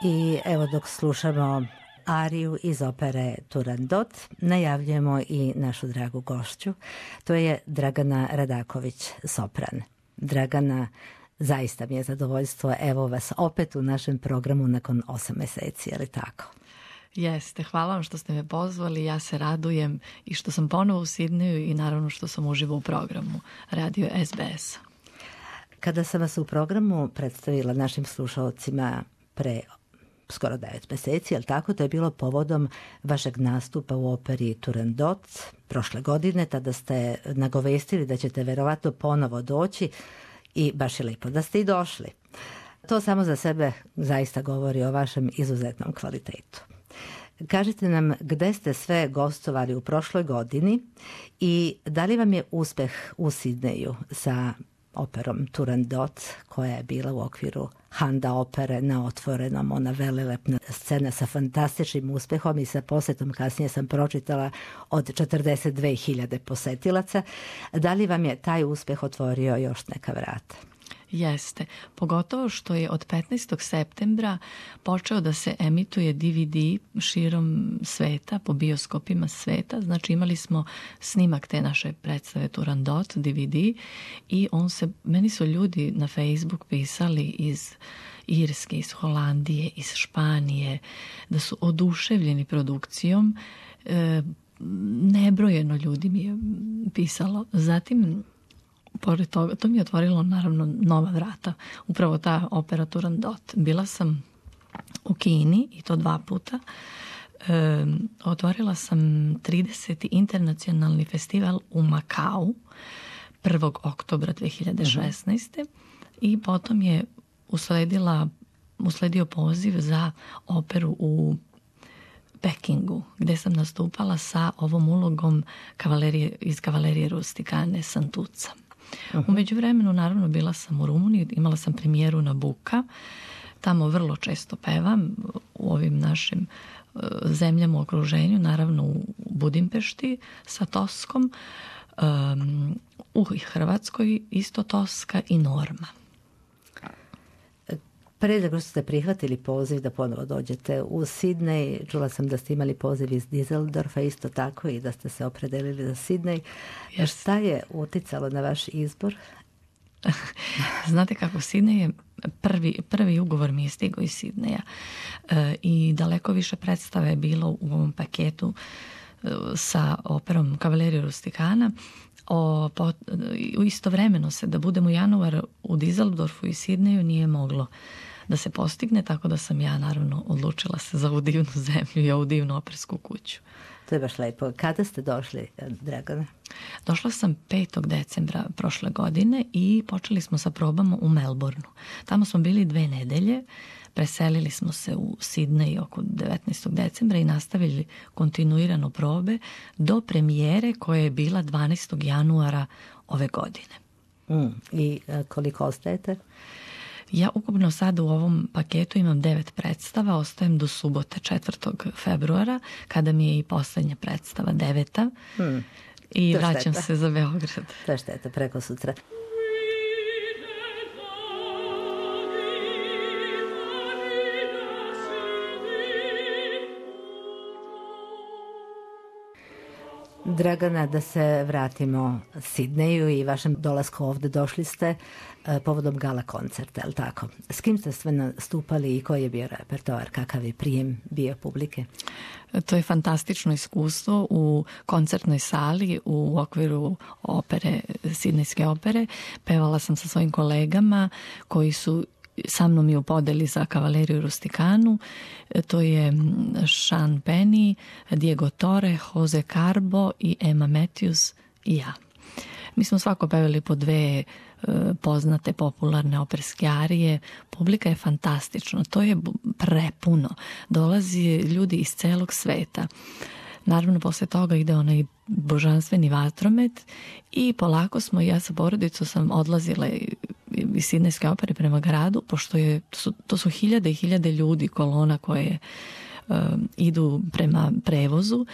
I evo dok slušamo ariju iz opere Turandot, najavljujemo i našu dragu gošću. To je Dragana Radaković, sopran. Dragana, zaista mi je zadovoljstvo, evo vas opet u našem programu nakon 8 meseci, je li tako? Jeste, hvala vam što ste me pozvali, ja se radujem i što sam ponovo u Sidneju i naravno što sam uživo u programu Radio SBS-a. Kada sam vas u programu predstavila našim slušalcima pre skoro 9 meseci, jel tako? To je bilo povodom vašeg nastupa u operi Turandot prošle godine. Tada ste nagovestili da ćete verovatno ponovo doći i baš je lepo da ste i došli. To samo za sebe zaista govori o vašem izuzetnom kvalitetu. Kažite nam gde ste sve gostovali u prošloj godini i da li vam je uspeh u Sidneju sa operom Turandot, koja je bila u okviru Handa opere na otvorenom, ona velelepna scena sa fantastičnim uspehom i sa posetom, kasnije sam pročitala, od 42.000 posetilaca. Da li vam je taj uspeh otvorio još neka vrata? Jeste, pogotovo što je od 15. septembra počeo da se emituje DVD širom sveta, po bioskopima sveta. Znači imali smo snimak te naše predstave Turandot, DVD, i meni su ljudi na Facebook pisali iz Irske, iz Holandije, iz Španije, da su oduševljeni produkcijom. Nebrojeno ljudi mi je pisalo. Zatim, pored toga, to mi je otvorilo naravno nova vrata, upravo ta opera Turandot. Bila sam u Kini i to 2 puta. Otvorila sam 30. internacionalni festival u Makau 1. oktobra 2016. I potom je usledio poziv za operu u Pekingu, gde sam nastupala sa ovom ulogom iz Kavalerije Rustikane Santuca. U međuvremenu, naravno, bila sam u Rumuniji, imala sam premijeru Nabuka, tamo vrlo često pevam u ovim našim zemljama u okruženju, naravno u Budimpešti sa Toskom, u Hrvatskoj isto Toska i Norma. Pre nego što ste prihvatili poziv da ponovo dođete u Sidnej, čula sam da ste imali poziv iz Düsseldorfa isto tako i da ste se opredelili za Sidnej. Yes. Šta je uticalo na vaš izbor? Znate kako, Sidnej je prvi ugovor mi je stigao iz Sidneja i daleko više predstave je bilo u ovom paketu sa operom Kavalerija Rustikana. Istovremeno se da budem u januaru u Düsseldorfu i Sidneju nije moglo da se postigne, tako da sam ja naravno odlučila se za ovu divnu zemlju i ovu divnu opersku kuću. To je baš lepo. Kada ste došli, Dragana? Došla sam 5. decembra prošle godine i počeli smo sa probama u Melbourneu. Tamo smo bili 2 nedelje, preselili smo se u Sidnej oko 19. decembra i nastavili kontinuirano probe do premijere koja je bila 12. januara ove godine. I koliko ostajete? Ja ukupno sada u ovom paketu imam 9 predstava, ostajem do subote 4. februara, kada mi je i poslednja predstava, 9. I vraćam se za Beograd. To je šteta, preko sutra. Dragana, da se vratimo Sidneju i vašem dolasku ovde. Došli ste povodom gala koncerta, je li tako? S kim ste sve nastupali i koji je bio repertoar, kakav je prijem bio publike? To je fantastično iskustvo u koncertnoj sali u okviru opere, Sidnejske opere. Pevala sam sa svojim kolegama koji su sa mnom i u podeli za Kavaleriju Rustikanu. To je Sean Penny, Diego Torre, Jose Carbo i Emma Matthews i ja. Mi smo svako pevali po 2 poznate popularne operske arije. Publika je fantastična, to je prepuno. Dolazi ljudi iz celog sveta. Naravno, posle toga ide onaj božanstveni vatromet i polako smo, ja sa porodicom sam odlazila iz Sidnejske opere prema gradu, pošto to su hiljade i hiljade ljudi, kolona koje idu prema prevozu,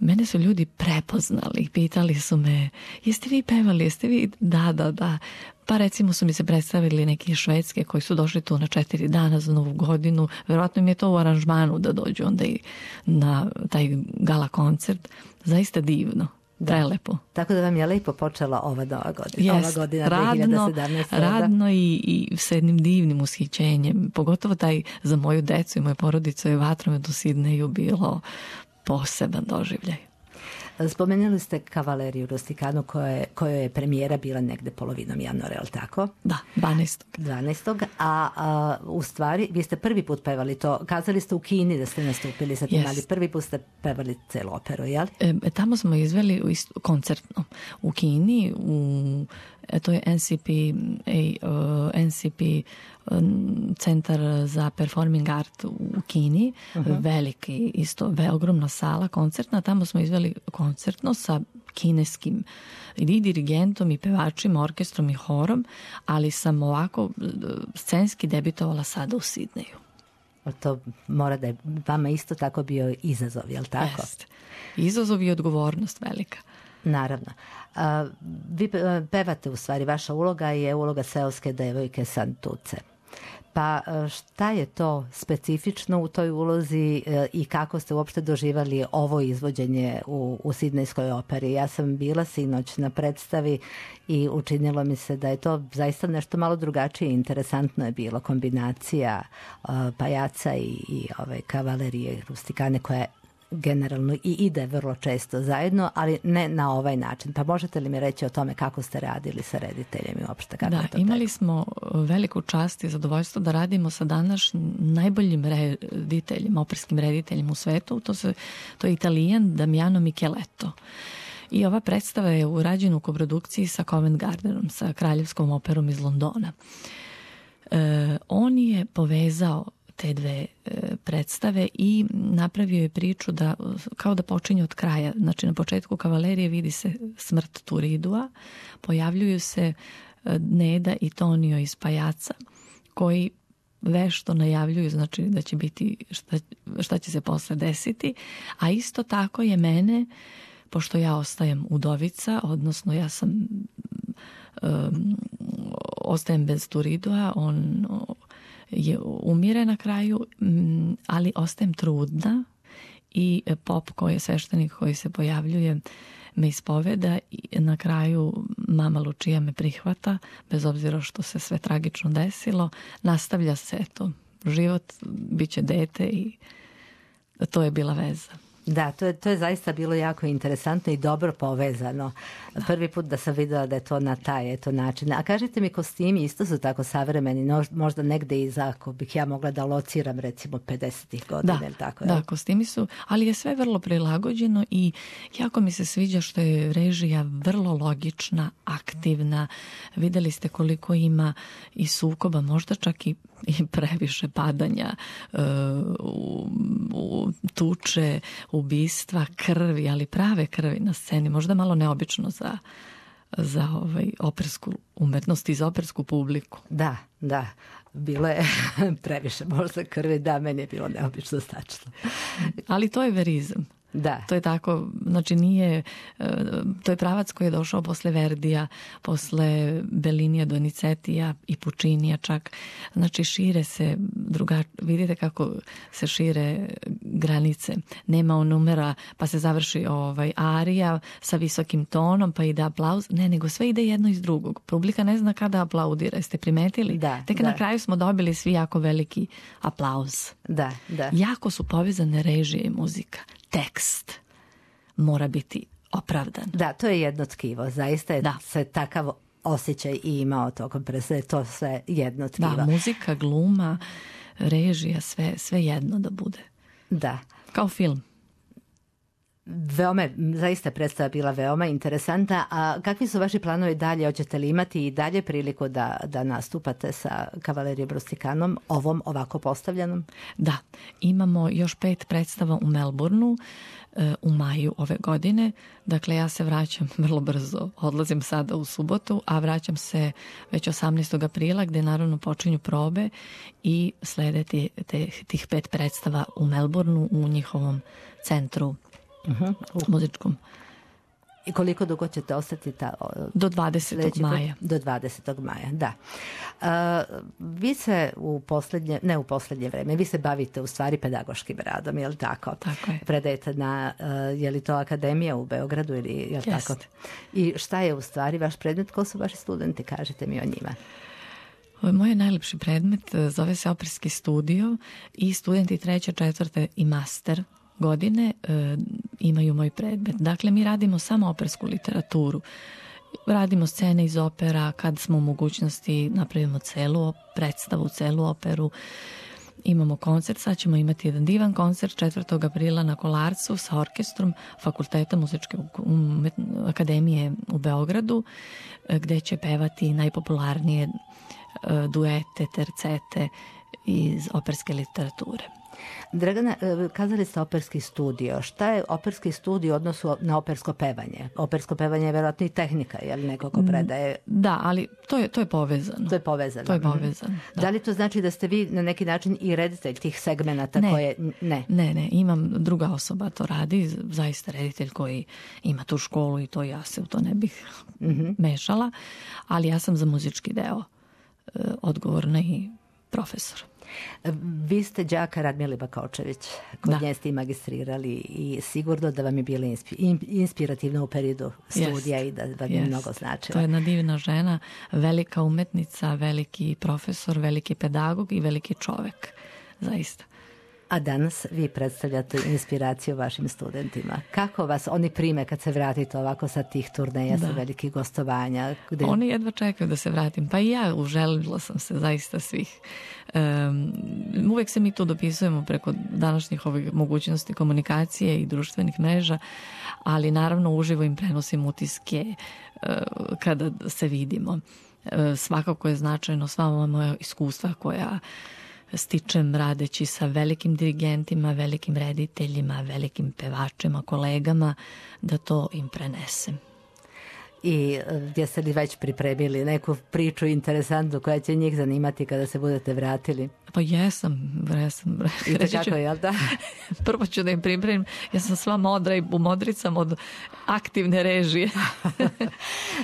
mene su ljudi prepoznali, pitali su me, jeste vi pevali, jeste vi? Da. Pa recimo su mi se predstavili neki iz Švedske koji su došli tu na 4 dana za Novu godinu. Verovatno im je to u aranžmanu da dođu onda i na taj gala koncert. Zaista divno. Prelepo. Tako da vam je lepo počela ova nova godina. Ova godina 2017. Radno i sa jednim divnim ushićenjem. Pogotovo taj za moju decu i moju porodicu je Vatromet u Sidneju bilo poseban doživljaj. Spomenuli ste Kavaleriju Rustikanu kojoj je premijera bila negde polovinom januara, je li tako? Da, 12. 12. A u stvari, vi ste prvi put pevali to, kazali ste u Kini da ste nastupili sa tim, ali prvi put ste pevali celu operu, jel? Tamo smo izveli koncertno u Kini, to je NCP centar za performing art u Kini, veliki, isto ogromna sala koncertna, tamo smo izveli koncertno sa kineskim i dirigentom i pevačima, orkestrom i horom, ali sam ovako scenski debitovala sada u Sidneju. To mora da je vama isto tako bio izazov, je li tako? Jest. Izazov i odgovornost velika. Naravno. Vi pevate, u stvari, vaša uloga je uloga seoske devojke Santuce. Pa šta je to specifično u toj ulozi i kako ste uopšte doživali ovo izvođenje u Sidnejskoj operi? Ja sam bila sinoć na predstavi i učinilo mi se da je to zaista nešto malo drugačije. Interesantno je bilo kombinacija pajaca i Kavalerije Rustikane koja je generalno i ide vrlo često zajedno, ali ne na ovaj način. Pa možete li mi reći o tome kako ste radili sa rediteljem i uopšte kako je to imali smo veliku čast i zadovoljstvo da radimo sa današnjim najboljim rediteljima, operskim rediteljima u svetu. To je Italijan Damiano Micheletto. I ova predstava je urađena u koprodukciji sa Covent Gardenom, sa Kraljevskom operom iz Londona. On je povezao te dve predstave i napravio je priču da kao da počinje od kraja. Znači na početku Kavalerije vidi se smrt Turidua, pojavljuju se Neda i Tonio iz Pajaca koji vešto najavljuju, znači da će biti šta će se posle desiti, a isto tako je mene, pošto ja ostajem udovica, odnosno ja sam ostajem bez Turidua, on je umire na kraju, ali ostajem trudna i pop koji je sveštenik koji se pojavljuje me ispoveda i na kraju mama Lučija me prihvata, bez obzira što se sve tragično desilo. Nastavlja se život, bit će dete i to je bila veza. Da, to je zaista bilo jako interesantno i dobro povezano. Prvi put da sam videla da je to na taj način. A kažite mi, kostimi isto su tako savremeni, možda negde iza, ako bih ja mogla da lociram recimo 50-ih godina. Da, kostimi su, ali je sve vrlo prilagođeno i jako mi se sviđa što je režija vrlo logična, aktivna. Videli ste koliko ima i sukoba, možda čak i previše padanja, u tuče, ubistva, krvi, ali prave krvi na sceni, možda malo neobično za opersku umetnost i za opersku publiku. Da, bilo je previše možda krvi, da, meni je bilo neobično stačno. Ali to je verizam. Da. To je tako, znači nije, to je pravac koji je došao posle Verdija, posle Bellinija, Donizetija i Puccinija čak. Znači šire se vidite kako se šire granice. Nema numera, pa se završi arija sa visokim tonom, pa ide aplauz. Ne, nego sve ide jedno iz drugog. Publika ne zna kada aplaudira. Jeste primetili? Tek na kraju smo dobili svi jako veliki aplauz. Da. Jako su povezane režije i muzika. Tekst mora biti opravdan. Da, to je jedno tkivo. Zaista je se takav osjećaj i imao tokom predstave. To sve jedno tkivo. Da, muzika, gluma, režija, sve jedno da bude. Da. Kao film. Zaista predstava bila veoma interesantna. A kakvi su vaši planovi dalje? Hoćete li imati i dalje priliku da nastupate sa Kavalerijom Rustikanom, ovom ovako postavljenom? Da, imamo još 5 predstava u Melbourneu u maju ove godine. Dakle, ja se vraćam vrlo brzo. Odlazim sada u subotu, a vraćam se već 18. aprila gde naravno počinju probe i slede tih 5 predstava u Melbourneu u njihovom centru muzičkom. I koliko dugo ćete ostati do 20. maja. Do 20. maja, da. Vi se u poslednje vreme, vi se bavite u stvari pedagoškim radom, je li tako? Tako je. Predajete na, je li to akademija u Beogradu ili je li tako? I šta je u stvari vaš predmet? Ko su vaši studenti? Kažite mi o njima. Moj najlepši predmet zove se Operski studio i studenti 3., 4. i master godine imaju moj predmet. Dakle, mi radimo samo opersku literaturu. Radimo scene iz opera, kad smo u mogućnosti napravimo celu predstavu, celu operu. Imamo koncert, sad ćemo imati jedan divan koncert 4. aprila na Kolarcu sa orkestrom Fakulteta muzičke akademije u Beogradu, gde će pevati najpopularnije duete, tercete iz operske literature. Dragana, kazali ste operski studio. Šta je operski studio u odnosu na opersko pevanje? Opersko pevanje je verovatno i tehnika, je li neko ko predaje? Da, ali to je povezano. To je povezano. To je povezano, da li to znači da ste vi na neki način i reditelj tih segmenata koje... Ne, imam druga osoba to radi, zaista reditelj koji ima tu školu i to ja se u to ne bih mešala, ali ja sam za muzički deo odgovorna i profesor. Vi ste đaka Radmile Bakočević, kod nje ste i magistrirali i sigurno da vam je bila inspirativna u periodu studija i da vam je mnogo značila. To je jedna divna žena, velika umetnica, veliki profesor, veliki pedagog i veliki čovek, zaista. A danas vi predstavljate inspiraciju vašim studentima. Kako vas oni prime kad se vratite ovako sa tih turneja, sa velikih gostovanja? Oni jedva čekaju da se vratim. Pa i ja uželila sam se zaista svih. Uvek se mi tu dopisujemo preko današnjih ovih mogućnosti komunikacije i društvenih mreža, ali naravno uživo im prenosim utiske kada se vidimo. Svakako je značajno sva ova moja iskustva koja stičem radeći sa velikim dirigentima, velikim rediteljima, velikim pevačima, kolegama, da to im prenesem. I jeste li već pripremili neku priču interesantnu koja će njih zanimati kada se budete vratili? Pa jesam. I tako je, jel da? Prvo ću da im pripremim. Ja sam sva modra i umodricam od aktivne režije.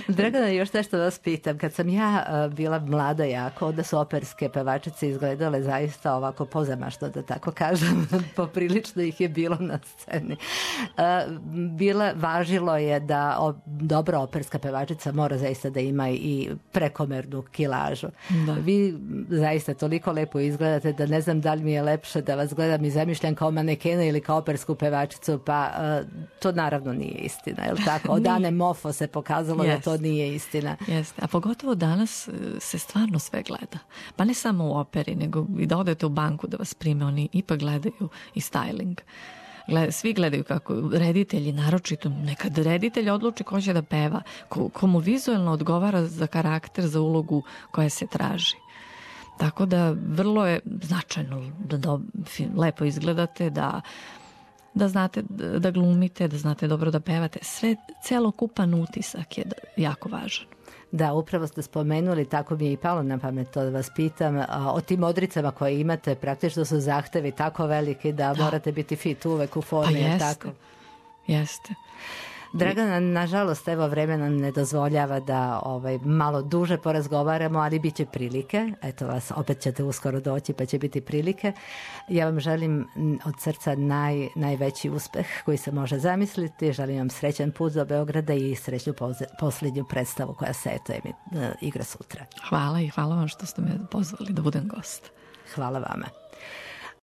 Dragana, još nešto vas pitam. Kad sam ja bila mlada jako, onda su operske pevačice izgledale zaista ovako pozamašno, da tako kažem. Poprilično ih je bilo na sceni. Važilo je da dobra operska pevačica mora zaista da ima i prekomernu kilažu. Da. Vi zaista toliko lepo izgledate da ne znam da li mi je lepše da vas gledam i zamišljam kao manekena ili kao opersku pevačicu, pa to naravno nije istina, je li tako? Od Ane Mofo se pokazalo da to nije istina. Jeste, a pogotovo danas se stvarno sve gleda. Pa ne samo u operi, nego i da odete u banku da vas prime, oni ipak gledaju i styling. Svi gledaju kako reditelji, naročito nekad reditelj odluči ko će da peva, komu vizualno odgovara za karakter, za ulogu koja se traži. Tako da vrlo je značajno da lepo izgledate, da znate da glumite, da znate dobro da pevate. Celokupan utisak je jako važan. Da, upravo ste spomenuli, tako mi je i palo na pamet to da vas pitam, o tim modricama koje imate, praktično su zahtevi tako veliki da morate biti fit uvek u formi. Pa tako? Jeste. Dragana, nažalost, evo vreme nam ne dozvoljava da malo duže porazgovaramo, ali bit će prilike. Eto vas, opet ćete uskoro doći pa će biti prilike. Ja vam želim od srca najveći uspeh koji se može zamisliti. Želim vam srećan put do Beograda i srećnu posljednju predstavu koja se igra sutra. Hvala i hvala vam što ste me pozvali da budem gost. Hvala vama.